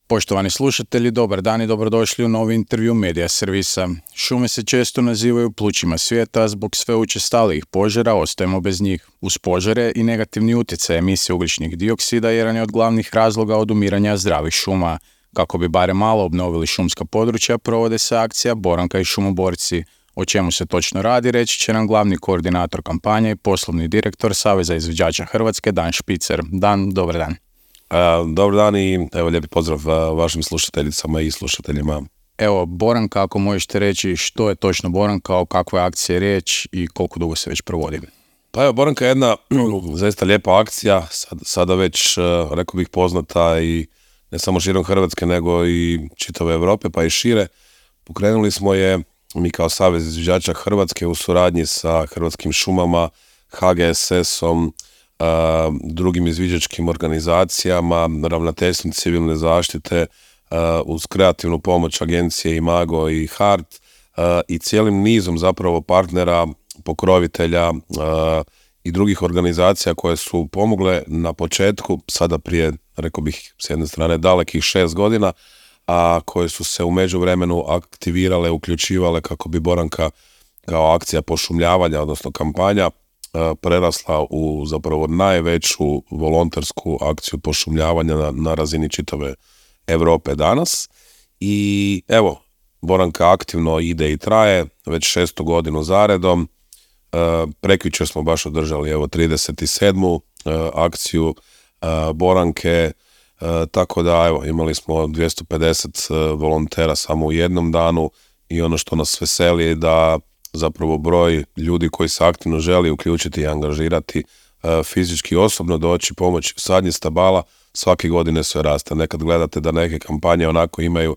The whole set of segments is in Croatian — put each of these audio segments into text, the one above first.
Poštovani slušatelji, dobar dan i dobrodošli u novi intervju Medija servisa. Šume se često nazivaju plućima svijeta, zbog sve učestalijih požara ostajemo bez njih. Uz požare i negativni utjecaj emisije ugljičnih dioksida jedan je od glavnih razloga odumiranja zdravih šuma. Kako bi barem malo obnovili šumska područja, provode se akcija Boranka i šumoborci. O čemu se točno radi, reći će nam glavni koordinator kampanje i poslovni direktor Saveza izviđača Hrvatske, Dan Špicer. Dan, dobar dan. Dobar dan i evo lijepi pozdrav vašim slušateljicama i slušateljima. Evo, Boranka, ako možete reći što je točno Boranka, o kakvoj akciji je riječ i koliko dugo se već provodi? Pa evo, Boranka je jedna zaista lijepa akcija, sada već, rekao bih, poznata i ne samo širom Hrvatske, nego i čitave Europe, pa i šire. Pokrenuli smo je mi kao Savez izviđača Hrvatske u suradnji sa Hrvatskim šumama, HGSS-om, drugim izviđačkim organizacijama, ravnateljstvom civilne zaštite, uz kreativnu pomoć agencije Imago i HART i cijelim nizom zapravo partnera, pokrovitelja i drugih organizacija koje su pomogle na početku, sada prije, rekao bih, s jedne strane dalekih 6 godina, a koje su se u međuvremenu aktivirale, uključivale kako bi Boranka kao akcija pošumljavanja, odnosno kampanja, prerasla u zapravo najveću volontersku akciju pošumljavanja na razini čitave Europe danas. I evo, Boranka aktivno ide i traje već 6. godinu zaredom. Prekjučer smo baš održali 37. akciju Boranke, tako da evo, imali smo 250 volontera samo u jednom danu i ono što nas veseli je da zapravo broj ljudi koji se aktivno želi uključiti i angažirati, fizički osobno doći, pomoći u sadnji stabala, svake godine sve raste. Nekad gledate da neke kampanje onako imaju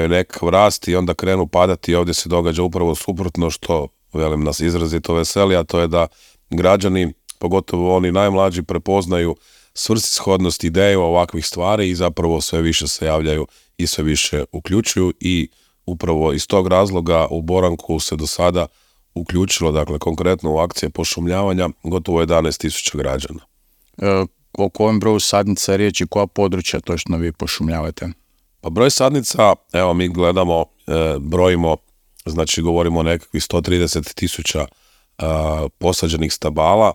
nekakav rast i onda krenu padati i ovdje se događa upravo suprotno, što velim nas izrazito veseli, a to je da građani, pogotovo oni najmlađi, prepoznaju svrsishodnost ideju ovakvih stvari i zapravo sve više se javljaju i sve više uključuju i upravo iz tog razloga u Boranku se do sada uključilo, dakle konkretno u akcije pošumljavanja, gotovo 11.000 građana. O kojem broju sadnica je riječ i koja područja točno vi pošumljavate? Pa broj sadnica, evo mi gledamo, brojimo, znači govorimo o nekakvih 130.000 posađenih stabala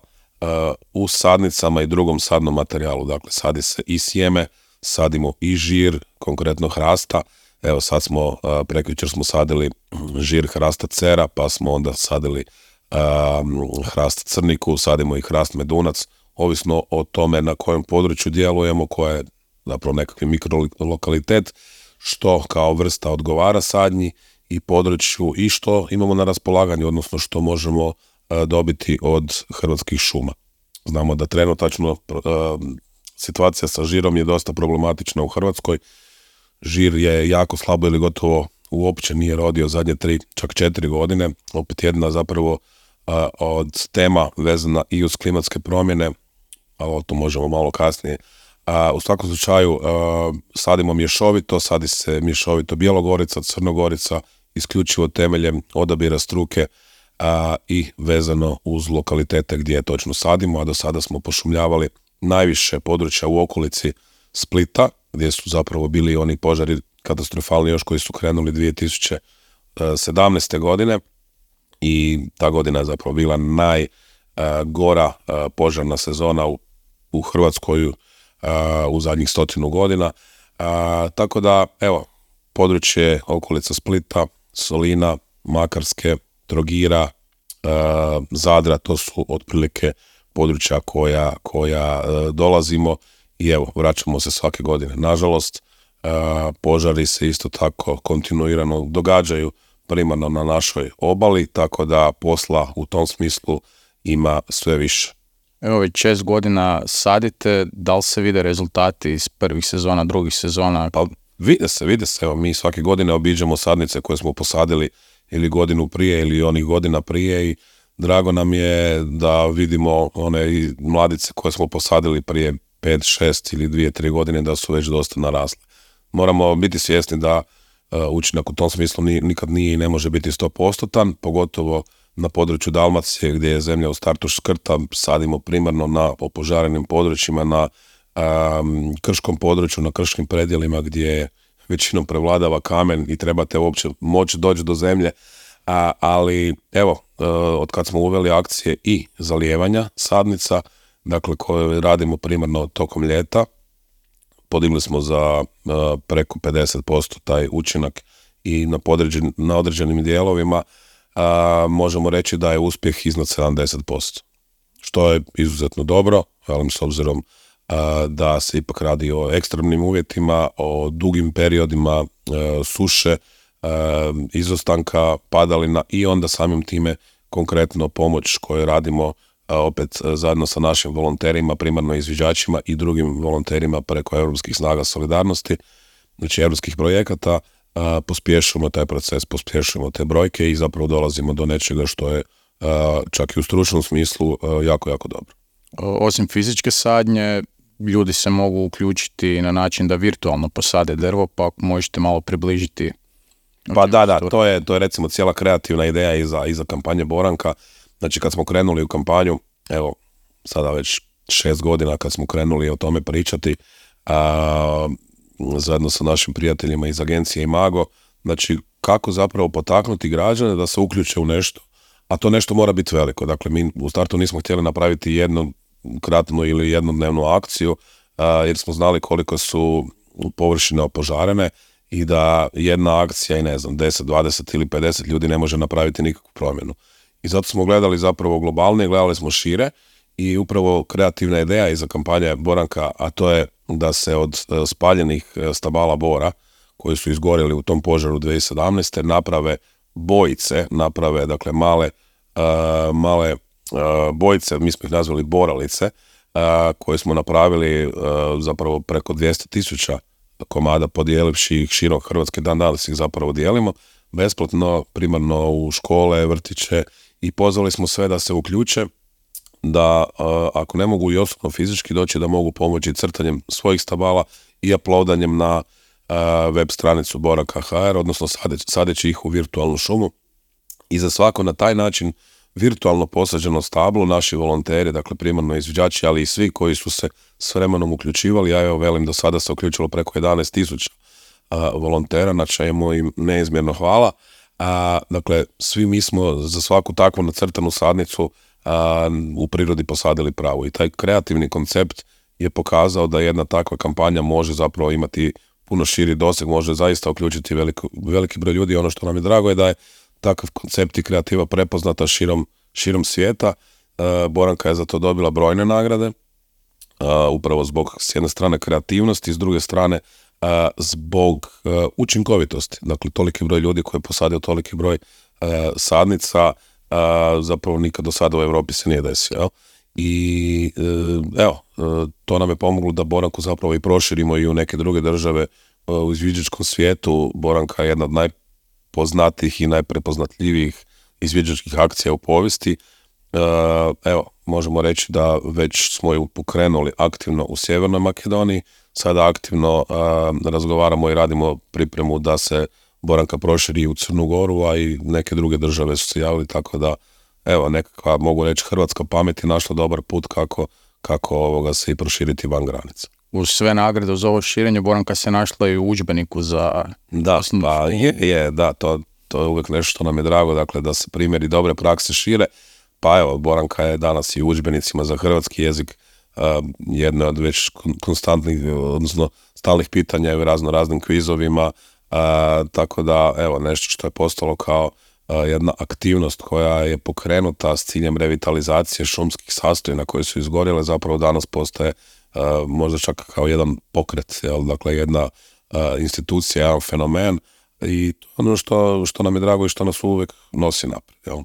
u sadnicama i drugom sadnom materijalu, dakle sadi se i sjeme, sadimo i žir, konkretno hrasta. Evo sad smo, prekjučer smo sadili žir hrasta cera, pa smo onda sadili hrast crniku, sadimo i hrast medunac, ovisno o tome na kojem području djelujemo, koje je zapravo nekakvi mikrolokalitet, što kao vrsta odgovara sadnji i području i što imamo na raspolaganju, odnosno što možemo dobiti od Hrvatskih šuma. Znamo da trenutačno situacija sa žirom je dosta problematična u Hrvatskoj. Žir je jako slabo ili gotovo uopće nije rodio zadnje 3, čak 4 godine. Opet jedna zapravo od tema vezana i uz klimatske promjene, ali o tom možemo malo kasnije. U svakom slučaju sadimo mješovito, sadi se mješovito Bjelogorica, Crnogorica, isključivo temeljem odabira struke i vezano uz lokalitete gdje točno sadimo, a do sada smo pošumljavali najviše područja u okolici Splita, gdje su zapravo bili oni požari katastrofalni još koji su krenuli 2017. godine i ta godina je zapravo bila najgora požarna sezona u Hrvatskoj u zadnjih 100 godina. Tako da, evo, područje okolica Splita, Solina, Makarske, Trogira, Zadra, to su otprilike područja koja dolazimo i evo, vraćamo se svake godine. Nažalost, požari se isto tako kontinuirano događaju primarno na našoj obali, tako da posla u tom smislu ima sve više. Evo, već 6 godina sadite, da li se vide rezultati iz prvih sezona, drugih sezona? Pa vide se, evo, mi svake godine obiđemo sadnice koje smo posadili ili godinu prije ili onih godina prije i drago nam je da vidimo one mladice koje smo posadili prije 5, 6 ili 2, 3 godine da su već dosta narasle. Moramo biti svjesni da učinak u tom smislu nikad nije i ne može biti 100%, pogotovo na području Dalmacije gdje je zemlja u startu škrta, sadimo primarno na opožarenim područjima, na krškom području, na krškim predjelima gdje većinom prevladava kamen i trebate uopće moći doći do zemlje. Ali evo, od kad smo uveli akcije i zalijevanja sadnica, dakle koje radimo primarno tokom ljeta, podigli smo za preko 50% taj učinak i na određenim dijelovima možemo reći da je uspjeh iznad 70%, što je izuzetno dobro, velim, s obzirom da se ipak radi o ekstremnim uvjetima, o dugim periodima suše, izostanka padalina i onda samim time konkretno pomoć koju radimo opet zajedno sa našim volonterima, primarno izviđačima i drugim volonterima preko Europskih snaga solidarnosti, znači europskih projekata, pospješujemo taj proces, pospješujemo te brojke i zapravo dolazimo do nečega što je čak i u stručnom smislu jako, jako dobro. Osim fizičke sadnje, ljudi se mogu uključiti na način da virtualno posade drvo, pa ako možete malo približiti. Pa da, to je recimo cijela kreativna ideja iza kampanje Boranka. Znači kad smo krenuli u kampanju, evo sada već 6 godina kad smo krenuli o tome pričati, zajedno sa našim prijateljima iz agencije Imago, znači kako zapravo potaknuti građane da se uključe u nešto, a to nešto mora biti veliko. Dakle, mi u startu nismo htjeli napraviti jednokratnu ili jednodnevnu akciju, jer smo znali koliko su površine opožarene i da jedna akcija i 10, 20 ili 50 ljudi ne može napraviti nikakvu promjenu. I zato smo gledali zapravo globalnije, gledali smo šire i upravo kreativna ideja iza kampanje Boranka, a to je da se od spaljenih stabala bora koji su izgorjeli u tom požaru 2017. naprave bojice, dakle male bojice, mi smo ih nazvali boralice, koje smo napravili zapravo preko 200,000 komada, podijelivši ih širom Hrvatske, dan danas ih zapravo dijelimo besplatno, primarno u škole, vrtiće, i pozvali smo sve da se uključe, da ako ne mogu i osobno fizički doći, da mogu pomoći crtanjem svojih stabala i uploadanjem na web stranicu Boranka.hr, odnosno sadeći ih u virtualnu šumu. I za svako na taj način virtualno posađeno stablo, naši volonteri, dakle primarno izviđači, ali i svi koji su se s vremenom uključivali, ja evo velim do sada se uključilo preko 11,000 volontera, na čemu im neizmjerno hvala. Dakle, svi mi smo za svaku takvu nacrtanu sadnicu u prirodi posadili pravu, i taj kreativni koncept je pokazao da jedna takva kampanja može zapravo imati puno širi doseg, može zaista uključiti veliki broj ljudi. Ono što nam je drago je da je takav koncept i kreativa prepoznata širom svijeta. Boranka je za to dobila brojne nagrade, upravo zbog s jedne strane kreativnosti, s druge strane zbog učinkovitosti. Dakle, toliki broj ljudi koji je posadio toliki broj sadnica zapravo nikad do sada u Europi se nije desio. I evo, to nam je pomoglo da Boranku zapravo i proširimo i u neke druge države u izviđačkom svijetu. Boranka je jedna od najpoznatijih i najprepoznatljivijih izviđačkih akcija u povijesti. Evo, možemo reći da već smo ju pokrenuli aktivno u Sjevernoj Makedoniji, sada aktivno razgovaramo i radimo pripremu da se Boranka proširi u Crnu Goru, a i neke druge države su se javili, tako da evo, nekakva, mogu reći, hrvatska pamet je našla dobar put kako se i proširiti van granica. Uz sve nagrade, uz ovo širenje, Boranka se našla i u udžbeniku za... Da, to je uvijek nešto što nam je drago, dakle da se primjeri dobre prakse šire. Pa evo, Boranka je danas i u udžbenicima za hrvatski jezik jedno od već konstantnih, odnosno stalnih pitanja u raznim kvizovima, tako da evo, nešto što je postalo kao jedna aktivnost koja je pokrenuta s ciljem revitalizacije šumskih sastojina koje su izgorjele, zapravo danas postaje možda čak kao jedan pokret, dakle jedna institucija, jedan fenomen, i to ono što nam je drago i što nas uvijek nosi naprijed.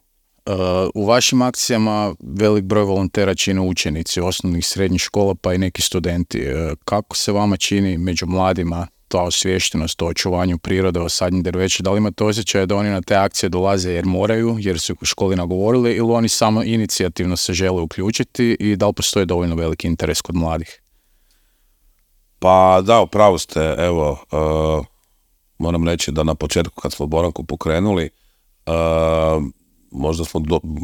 U vašim akcijama velik broj volontera čine učenici osnovnih, srednjih škola, pa i neki studenti. Kako se vama čini među mladima ta osviještenost o očuvanju prirode, o sadnji drveća? Da li imate osjećaj da oni na te akcije dolaze jer moraju, jer su u školi nagovorili, ili oni samo inicijativno se žele uključiti, i da li postoji dovoljno veliki interes kod mladih? Pa da, upravo ste. Evo, moram reći da na početku kad smo Boranku pokrenuli, možda smo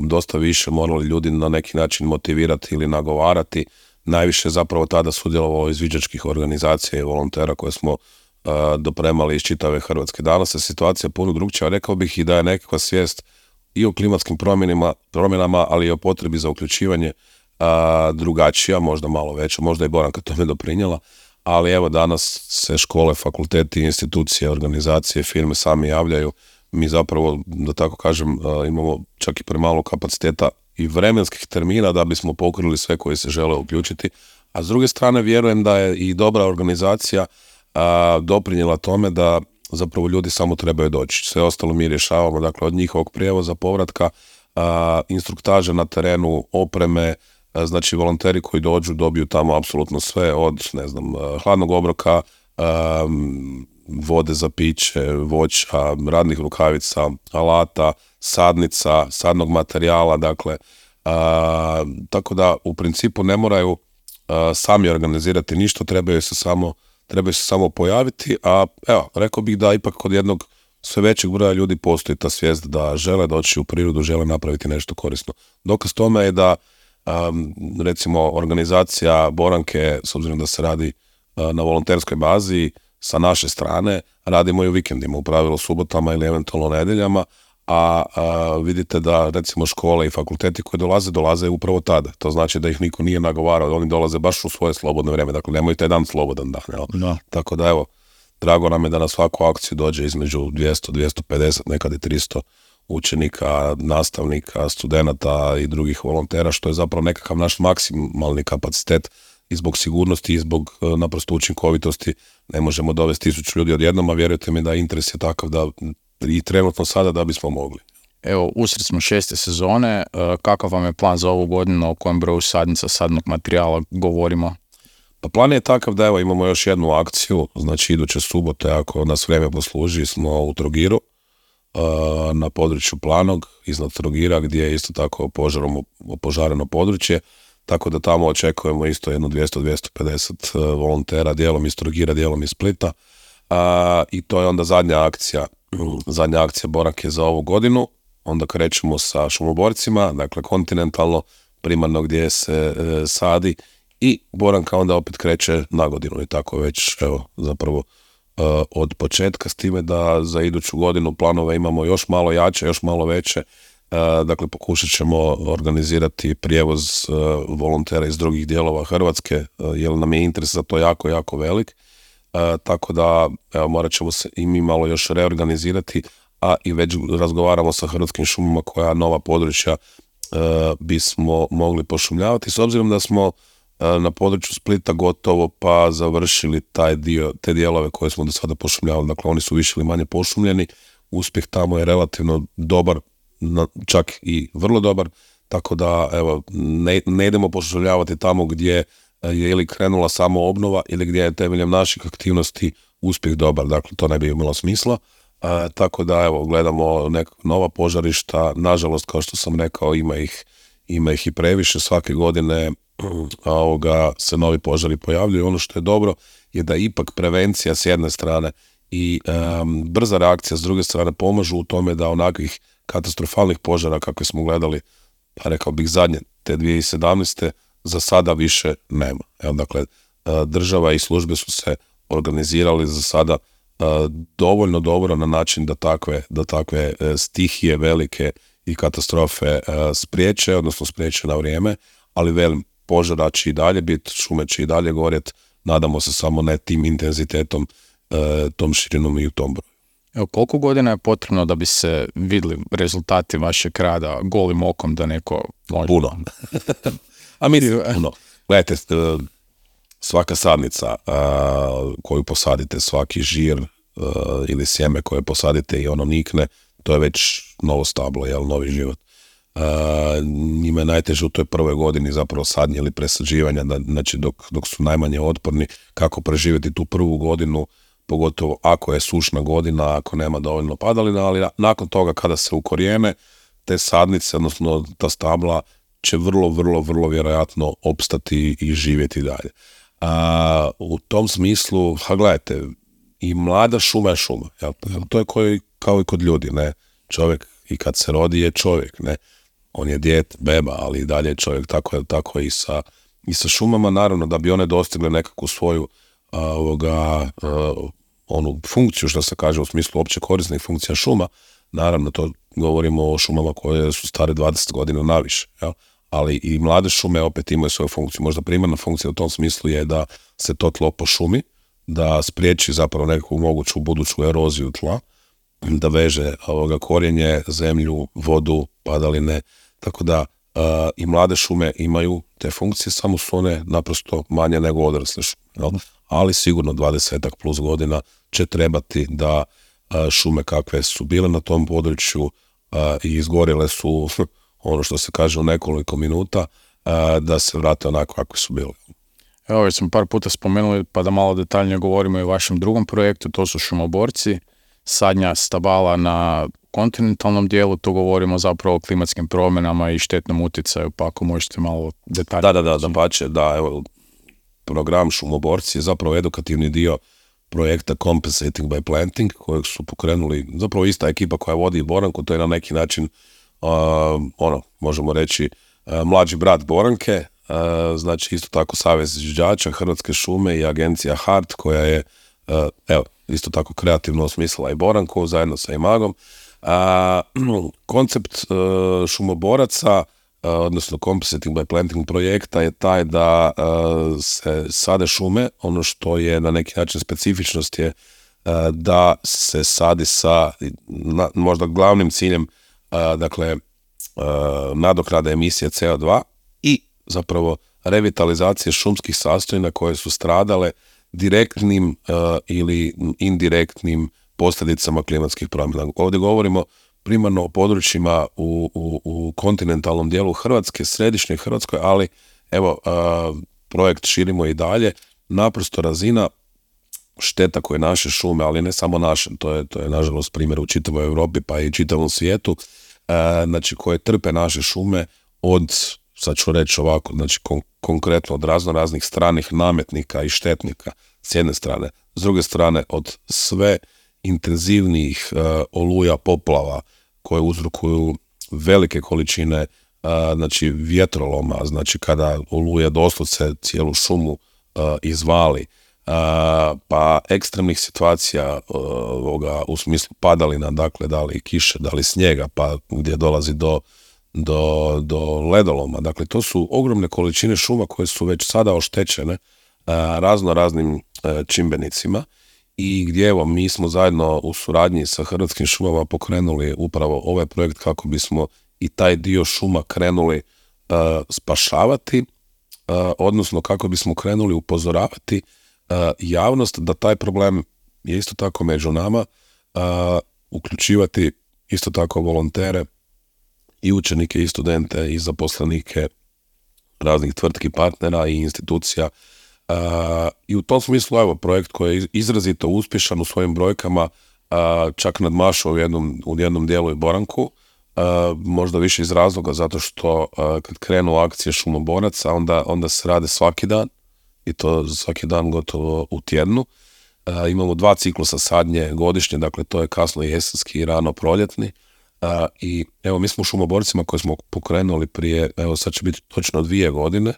dosta više morali ljudi na neki način motivirati ili nagovarati. najviše zapravo tada sudjelovao izviđačkih organizacija i volontera koje smo dopremali iz čitave Hrvatske. Danas je situacija puno drugčija, rekao bih i da je nekakva svijest i o klimatskim promjenama, ali i o potrebi za uključivanje drugačija, možda malo veća, možda i Boranka tome doprinijela, ali evo danas se škole, fakulteti, institucije, organizacije, firme sami javljaju. Mi zapravo, da tako kažem, imamo čak i premalo kapaciteta i vremenskih termina da bismo pokrili sve koji se žele uključiti, a s druge strane vjerujem da je i dobra organizacija doprinijela tome da zapravo ljudi samo trebaju doći. Sve ostalo mi rješavamo, dakle od njihovog prijevoza, povratka, instruktaže na terenu, opreme, znači volonteri koji dođu dobiju tamo apsolutno sve od, ne znam, hladnog obroka, vode za piće, voća, radnih rukavica, alata, sadnica, sadnog materijala, dakle, tako da u principu ne moraju sami organizirati ništa, trebaju se samo pojaviti, a evo, rekao bih da ipak kod jednog sve većeg broja ljudi postoji ta svijest da žele doći u prirodu, žele napraviti nešto korisno. Dokaz tome je da recimo organizacija Boranke, s obzirom da se radi na volonterskoj bazi, sa naše strane radimo i u vikendima, u pravilu subotama ili eventualno nedjeljama, a vidite da recimo škole i fakulteti koji dolaze upravo tada. To znači da ih niko nije nagovarao, oni dolaze baš u svoje slobodno vrijeme, dakle nemaju taj dan slobodan dan. Jel? No. Tako da evo, drago nam je da na svaku akciju dođe između 200, 250, nekad i 300 učenika, nastavnika, studenata i drugih volontera, što je zapravo nekakav naš maksimalni kapacitet i zbog sigurnosti i zbog naprosto učinkovitosti. Ne možemo dovesti 1000 ljudi odjednom, a vjerujte mi da interes je takav da i trenutno sada da bismo mogli. Evo, usred smo 6. sezone, kakav vam je plan za ovu godinu, o kojem broju sadnica, sadnog materijala govorimo? Pa plan je takav da evo imamo još jednu akciju, znači iduće subote, ako nas vrijeme posluži, smo u Trogiru, na području Planog, iznad Trogira, gdje je isto tako opožareno područje, tako da tamo očekujemo isto jedno 200-250 volontera, dijelom iz Trogira, dijelom iz Splita, i to je onda zadnja akcija Boranke za ovu godinu. Onda krećemo sa šumoborcima, dakle kontinentalno, primarno gdje se sadi, i Boranka onda opet kreće na godinu i tako već evo zapravo od početka, s time da za iduću godinu planove imamo još malo jače, još malo veće. Dakle, pokušat ćemo organizirati prijevoz volontera iz drugih dijelova Hrvatske, jer nam je interes za to jako, jako velik. Tako da evo, morat ćemo se i mi malo još reorganizirati, a i već razgovaramo sa Hrvatskim šumama koja nova područja bismo mogli pošumljavati, s obzirom da smo na području Splita gotovo pa završili te dijelove koje smo do sada pošumljavali, dakle oni su više ili manje pošumljeni, uspjeh tamo je relativno dobar, čak i vrlo dobar, tako da evo, ne idemo pošumljavati tamo gdje je ili krenula samo obnova ili gdje je temeljem naših aktivnosti uspjeh dobar, dakle to ne bi imalo smisla. Tako da evo, gledamo neka nova požarišta, nažalost kao što sam rekao ima ih i previše, svake godine se novi požari pojavljuju. Ono što je dobro je da ipak prevencija s jedne strane i brza reakcija s druge strane pomažu u tome da onakvih katastrofalnih požara kakve smo gledali, pa rekao bih zadnje, te 2017. za sada više nema. Evo, dakle, država i službe su se organizirali za sada dovoljno dobro na način da takve stihije velike i katastrofe spriječe, odnosno spriječe na vrijeme, ali velim, požara će i dalje biti, šume će i dalje gorjet, nadamo se samo ne tim intenzitetom, tom širinom i u tom broju. Evo, koliko godina je potrebno da bi se vidjeli rezultati vašeg rada golim okom da neko može? Puno. A mislim, puno. Gledajte, svaka sadnica koju posadite, svaki žir ili sjeme koje posadite i ono nikne, to je već novo stablo, novi život. Njima je najteže u toj prvoj godini zapravo sadnje ili presađivanja, znači dok su najmanje otporni, kako preživjeti tu prvu godinu, pogotovo ako je sušna godina, ako nema dovoljno padalina, ali nakon toga kada se ukorijene, te sadnice, odnosno ta stabla, će vrlo vjerojatno opstati i živjeti dalje. U tom smislu, gledajte, i mlada šuma je šuma. To je kao i kod ljudi, ne? Čovjek i kad se rodi je čovjek, ne? On je dijete, beba, ali i dalje je čovjek, tako i sa i sa šumama, naravno da bi one dostigle nekakvu svoju onu funkciju, što se kaže u smislu opće korisnih funkcija šuma. Naravno, to govorimo o šumama koje su stare 20 godina naviše, jel? Ali i mlade šume opet imaju svoju funkciju. Možda primarna funkcija u tom smislu je da se to tlo pošumi, da spriječi zapravo nekakvu moguću buduću eroziju tla, da veže korijenje, zemlju, vodu, padaline, tako da i mlade šume imaju te funkcije, samo su one naprosto manje nego odrasle šume, jel? Ali sigurno 20 plus godina će trebati da šume kakve su bile na tom području i izgorjele su ono što se kaže u nekoliko minuta, da se vrate onako kako su bile. Evo, već smo par puta spomenuli, pa da malo detaljnije govorimo i o vašem drugom projektu, to su šumoborci, sadnja stabala na kontinentalnom dijelu, tu govorimo zapravo o klimatskim promjenama i štetnom utjecaju, pa ako možete malo detaljnije. Da, evo, program Šumoborci je zapravo edukativni dio projekta Compensating by Planting, kojeg su pokrenuli zapravo ista ekipa koja vodi Boranku, to je na neki način, možemo reći, mlađi brat Boranke, znači isto tako Savez izvođača, Hrvatske šume i agencija HART, koja je, isto tako kreativno osmislila i Boranku zajedno sa Imagom. Koncept šumoboraca, odnosno Compensating by Planting projekta je taj da se sade šume. Ono što je na neki način specifičnost je da se sadi sa možda glavnim ciljem nadoknade emisije CO2 i zapravo revitalizacije šumskih sastojina koje su stradale direktnim ili indirektnim posljedicama klimatskih promjena. Ovdje govorimo primarno o područjima u kontinentalnom dijelu Hrvatske, središnjoj Hrvatskoj, ali evo, projekt širimo i dalje. Naprosto razina šteta koje naše šume, ali ne samo naše, to je nažalost primjer u čitavoj Europi pa i čitavom svijetu, znači koje trpe naše šume od, sad ću reći ovako, znači konkretno od raznih stranih nametnika i štetnika s jedne strane, s druge strane od sve intenzivnijih oluja, poplava koje uzrokuju velike količine znači vjetroloma, znači kada oluje doslovce cijelu šumu izvali, pa ekstremnih situacija u smislu padalina, dakle da li kiše, da li snijega, pa gdje dolazi do ledoloma. Dakle, to su ogromne količine šuma koje su već sada oštećene raznim čimbenicima i gdje evo mi smo zajedno u suradnji sa Hrvatskim šumama pokrenuli upravo ovaj projekt kako bismo i taj dio šuma krenuli spašavati, odnosno kako bismo krenuli upozoravati javnost da taj problem je isto tako među nama, uključivati isto tako volontere i učenike i studente i zaposlenike raznih tvrtki, partnera i institucija. I u tom smislu, evo, projekt koji je izrazito uspješan u svojim brojkama, čak nadmašao u jednom dijelu i Boranku, možda više iz razloga zato što kad krenu akcije šumoboraca, onda se rade svaki dan i to svaki dan gotovo u tjednu. Imamo 2 ciklusa sadnje godišnje, dakle to je kasno jesenski i rano proljetni. I evo, mi smo u šumoborcima koje smo pokrenuli prije, evo sad će biti točno 2 godine,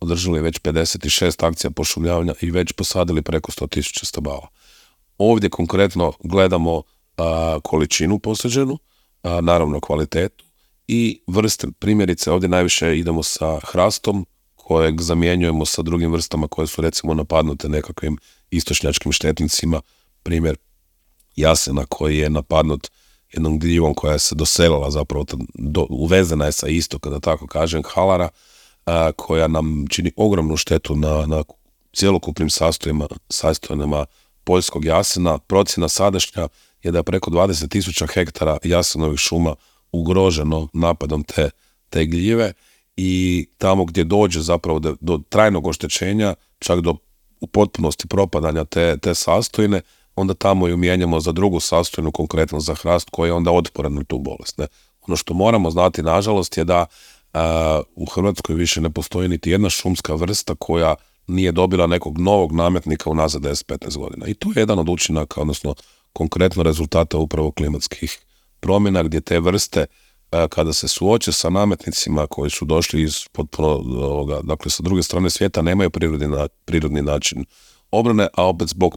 održali već 56 akcija pošumljavanja i već posadili preko 100.000 stabala. Ovdje konkretno gledamo količinu posađenu, naravno kvalitetu i vrste. Primjerice, ovdje najviše idemo sa hrastom kojeg zamjenjujemo sa drugim vrstama koje su recimo napadnute nekakvim istočnjačkim štetnicima. Primjer jasena koji je napadnut jednom gljivom koja se doselila, zapravo uvezena je sa istoka, da tako kažem, halara, koja nam čini ogromnu štetu na cjelokupnim sastojinama poljskog jasena. Procjena sadašnja je da je preko 20.000 hektara jasenovih šuma ugroženo napadom te gljive i tamo gdje dođe zapravo do trajnog oštećenja, čak do u potpunosti propadanja te sastojine, onda tamo ju mijenjamo za drugu sastojinu, konkretno za hrast, koji je onda otporan na tu bolest. Ne? Ono što moramo znati, nažalost, je da u Hrvatskoj više ne postoji niti jedna šumska vrsta koja nije dobila nekog novog nametnika unazad 10-15 godina. I to je jedan od učinaka, odnosno konkretno rezultata upravo klimatskih promjena, gdje te vrste kada se suoče sa nametnicima koji su došli iz potpuno dakle sa druge strane svijeta, nemaju prirodni način obrane, a opet zbog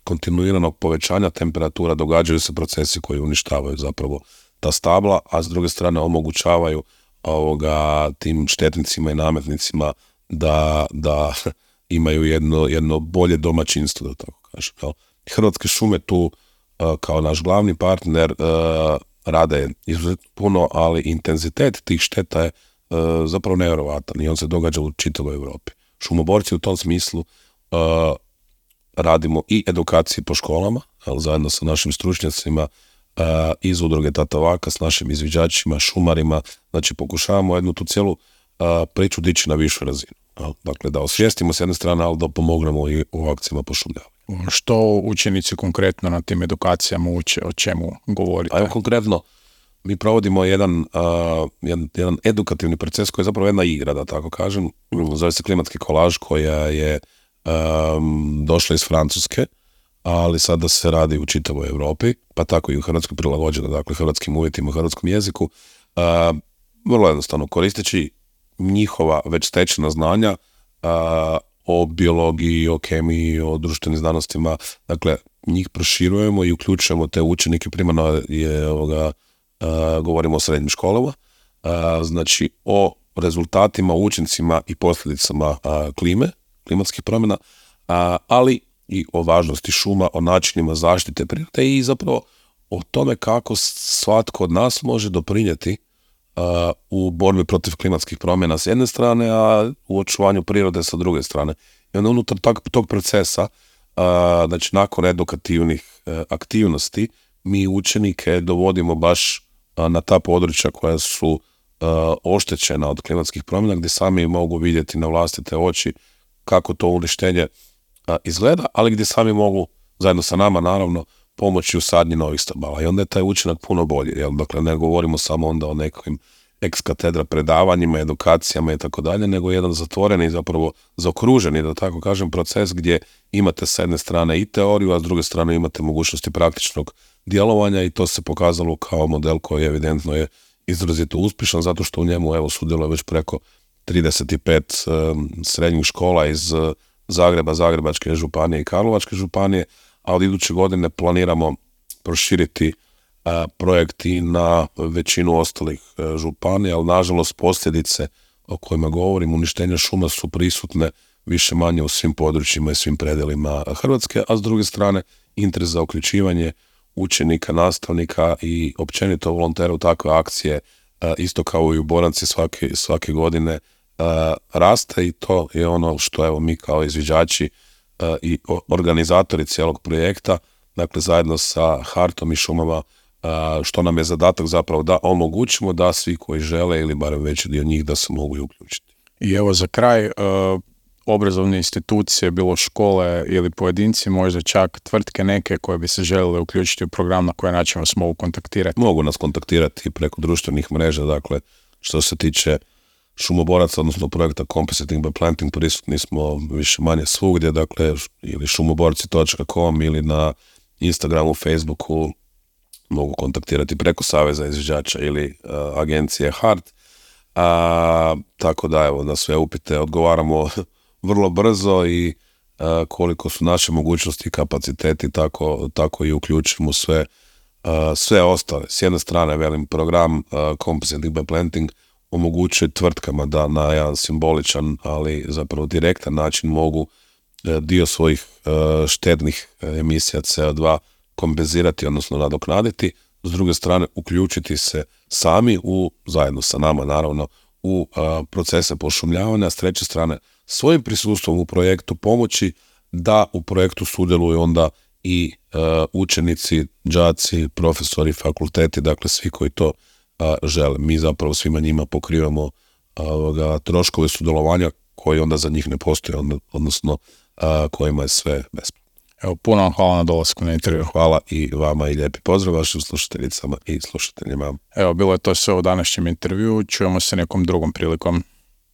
kontinuiranog povećanja temperatura događaju se procesi koji uništavaju zapravo ta stabla, a s druge strane omogućavaju tim štetnicima i nametnicima da imaju jedno bolje domaćinstvo, da tako kažem. Hrvatske šume tu kao naš glavni partner rade izuzetno puno, ali intenzitet tih šteta je zapravo nevjerovatan i on se događa u čitavoj Europi. Šumoborci u tom smislu radimo i edukacije po školama, zajedno sa našim stručnjacima iz udruge Tatavaka, s našim izviđačima, šumarima, znači pokušavamo jednu tu cijelu priču dići na višu razinu. Dakle, da osvijestimo s jedne strane, ali da pomognemo i u akcijama pošumljavanja. Što učenici konkretno na tim edukacijama uče, o čemu govorite? Evo konkretno, mi provodimo jedan edukativni proces koji je zapravo jedna igra, da tako kažem. Zove se klimatski kolaž, koja je došla iz Francuske, ali sada se radi u čitavoj Europi, pa tako i u Hrvatskoj prilagođeno, dakle hrvatskim uvjetima, hrvatskom jeziku. Vrlo jednostavno, koristeći njihova već stečena znanja o biologiji, o kemiji, o društvenim znanostima, dakle njih proširujemo i uključujemo te učenike, primarno govorimo o srednjim školama, znači o rezultatima, učincima i posljedicama klimatskih promjena, ali i o važnosti šuma, o načinima zaštite prirode i zapravo o tome kako svatko od nas može doprinijeti u borbi protiv klimatskih promjena s jedne strane, a u očuvanju prirode sa druge strane. I onda unutar tog procesa, znači nakon edukativnih aktivnosti, mi učenike dovodimo baš na ta područja koja su oštećena od klimatskih promjena, gdje sami mogu vidjeti na vlastite oči kako to uništenje izgleda, ali gdje sami mogu, zajedno sa nama naravno, pomoći u sadnji novih stabala. I onda je taj učinak puno bolji. Dakle, ne govorimo samo onda o nekakvim ex katedra predavanjima, edukacijama i tako dalje, nego jedan zatvoreni, zapravo zaokruženi, da tako kažem, proces gdje imate s jedne strane i teoriju, a s druge strane imate mogućnosti praktičnog djelovanja i to se pokazalo kao model koji evidentno je izrazito uspješan, zato što u njemu sudjeluje već preko 35 srednjih škola iz Zagreba, Zagrebačke županije i Karlovačke županije, a od iduće godine planiramo proširiti projekti na većinu ostalih županija, ali nažalost posljedice o kojima govorim, uništenja šuma su prisutne više manje u svim područjima i svim predelima Hrvatske, a s druge strane interes za uključivanje učenika, nastavnika i općenito volontera u takve akcije, isto kao i u Boranci svake godine raste i to je ono što mi kao izviđači i organizatori cijelog projekta, dakle zajedno sa Hartom i šumama, što nam je zadatak zapravo da omogućimo da svi koji žele ili barem veći dio njih da se mogu i uključiti. I evo za kraj, obrazovne institucije, bilo škole ili pojedinci, možda čak tvrtke neke koje bi se željele uključiti u program, na koji način vas mogu kontaktirati? Mogu nas kontaktirati preko društvenih mreža, dakle što se tiče šumoboraca, odnosno projekta Compensating by Planting, prisutni smo više manje svugdje, dakle ili šumoborci.com ili na Instagramu, Facebooku, mogu kontaktirati preko Saveza izviđača ili agencije HART. Tako da na sve upite odgovaramo vrlo brzo i koliko su naše mogućnosti i kapaciteti, tako i uključimo sve ostale. S jedne strane, velim, program Compensating by Planting omogućuje tvrtkama da na jedan simboličan, ali zapravo direktan način mogu dio svojih štetnih emisija CO2 kompenzirati, odnosno nadoknaditi. S druge strane, uključiti se sami zajedno sa nama naravno, u procese pošumljavanja. S treće strane, svojim prisustvom u projektu pomoći da u projektu sudjeluju onda i učenici, đaci, profesori, fakulteti, dakle svi koji to žele. Mi zapravo svima njima pokrivamo troškove sudjelovanja koji onda za njih ne postoje, odnosno kojima je sve besplatno. Evo, puno vam hvala na dolasku na intervju. Hvala i vama i lijepi pozdrav vašim slušateljicama i slušateljima. Evo, bilo je to sve u današnjem intervju. Čujemo se nekom drugom prilikom.